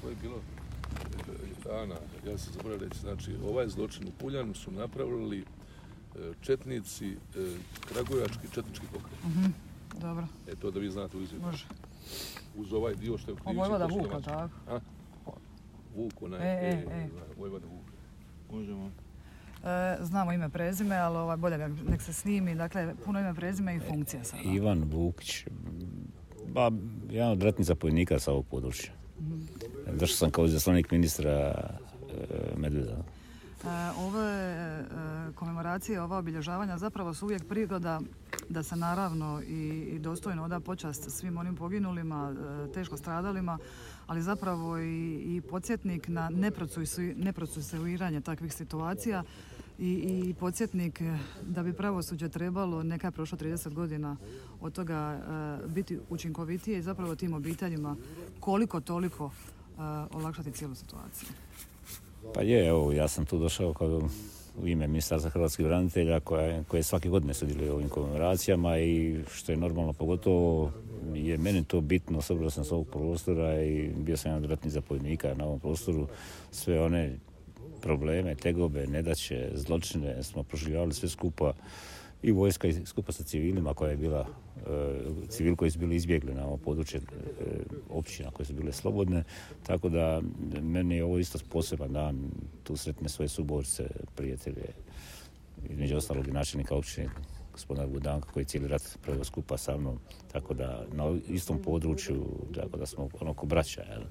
to je bilo, Ana, ja sam zaboravio reći, znači ovaj zločin u Puljanu su napravili četnici, kragujevački četnički pokret. Dobro. To da vi znate u izvjetu. Može. Uz ovaj dio što je u Krivici. Vojvoda Vuka, tako? Vuk, onaj, Vojvoda Vuka. Možemo. Znamo ime, prezime, ali bolje nek se snimi. Dakle, puno ime, prezime i funkcija sada. Ivan Vukić, jedan od ratnih zapovjednika sa ovog područja. Došao sam kao izaslanik ministra Medveda. Ove komemoracije, ova obilježavanja zapravo su uvijek prigoda da se naravno i dostojno oda počast svim onim poginulima, teško stradalima, ali zapravo i podsjetnik na neprocesuiranje takvih situacija i podsjetnik da bi pravosuđe trebalo, neka je prošlo 30 godina od toga, biti učinkovitije i zapravo tim obiteljima koliko toliko olakšati cijelu situaciju. Pa je, evo, ja sam tu došao kao u ime Ministarstva hrvatskih branitelja koje svake godine sudjeluje u ovim komemoracijama i što je normalno, pogotovo je meni to bitno, osobno sam s ovog prostora i bio sam jedan od ratnih zapovjednika na ovom prostoru. Sve one probleme, tegobe, nedaće, zločine smo proživljavali sve skupa i vojska i skupa sa civilima koja je bila, civili koji su bili izbjegli na ovo područje općina koje su bile slobodne, tako da meni je ovo isto poseban dan, tu sretne svoje suborce, prijatelje, između ostalog i načelnika općine gospodina Budanka koji je cijeli rat proveo skupa sa mnom, tako da na istom području, tako da smo onako braća. Jel?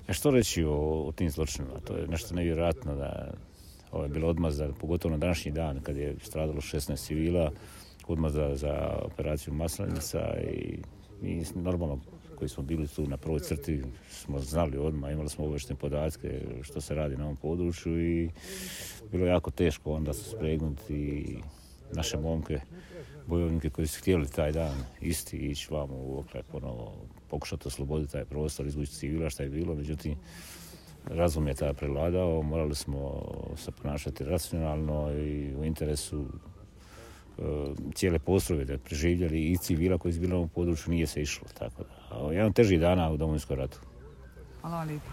Što reći o tim zločinima? To je nešto nevjerojatno da ovo je bilo odmazda, pogotovo na današnji dan kad je stradalo 16 civila, odmazda za operaciju Maslenica i mi normalno koji smo bili tu na prvoj crti smo znali odmah, imali smo obavještajne podatke što se radi na ovom području i bilo je jako teško onda se spregnuti naše momke, bojovnike koji su htjeli taj dan isti ići vamo u Oklaj ponovo pokušati osloboditi taj prostor, izvući civila što je bilo, međutim razum je tada prevladao, morali smo se ponašati racionalno i u interesu cijele postrojbe da preživjeli i civila koji su bili na ovom području nije se išlo. Tako da, jedan težih dana u Domovinskom ratu. Hvala vam lijepo.